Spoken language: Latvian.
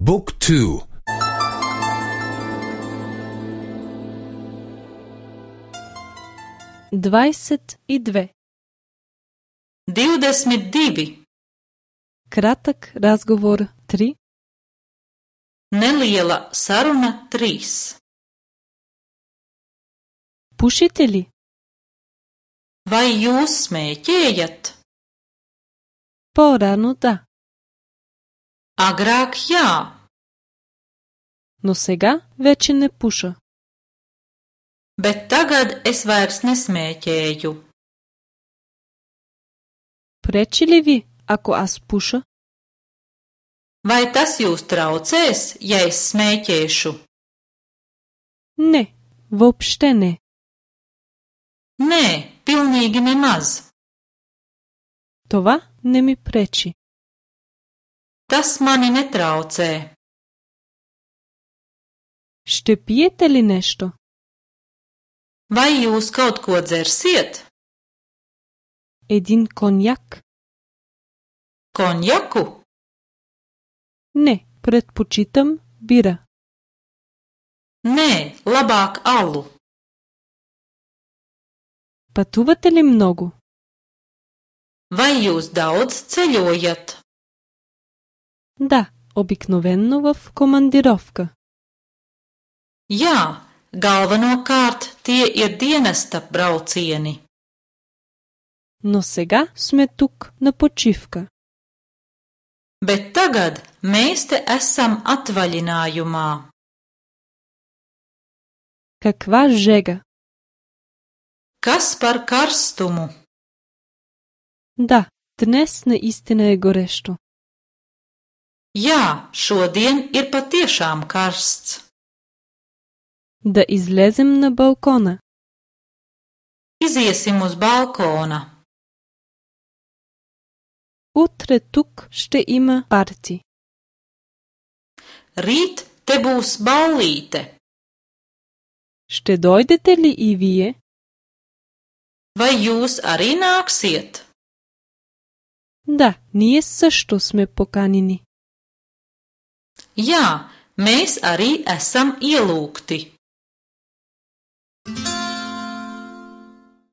Book 2. 22. 22. Kratak razgovor 3. Neliela saruna 3. Pušite li? Vai jūs smēķējat? Porano da. Agrāk jā, Но сега вече не пуша. bet tagad es vairs nesmēķēju. Пречи ли ви, ако аз пуша? Vai tas jūs traucēs, ja es smēķēšu? Не, въобще не. Nē, pilnīgi nemaz. Това не ми пречи. Tas mani netraucē. Ще пиете ли нещо? Vai jūs kaut ko dzersiet? Един коньяк? Konjaku? Не, предпочитам бира. Nē, labāk alu. Пътувате ли много? Vai jūs daudz ceļojat? Да, обикновенно в командировка. Jā, galvenokārt tie ir dienesta braucieni. Но сега сме тук на почивка. Bet tagad mēs te esam atvaļinājumā. Каква жега? Kas par karstumu? Да, днес наистина е горещо. Jā, šodien ir patiešām karsts. Да излезем на балкона. Iziesim uz balkona. Утре тук ще има парти. Rīt te būs ballīte. Ще дойдете ли и вие? Vai jūs arī nāksiet? Да, ние също сме поканени. Jā, mēs arī esam ielūgti.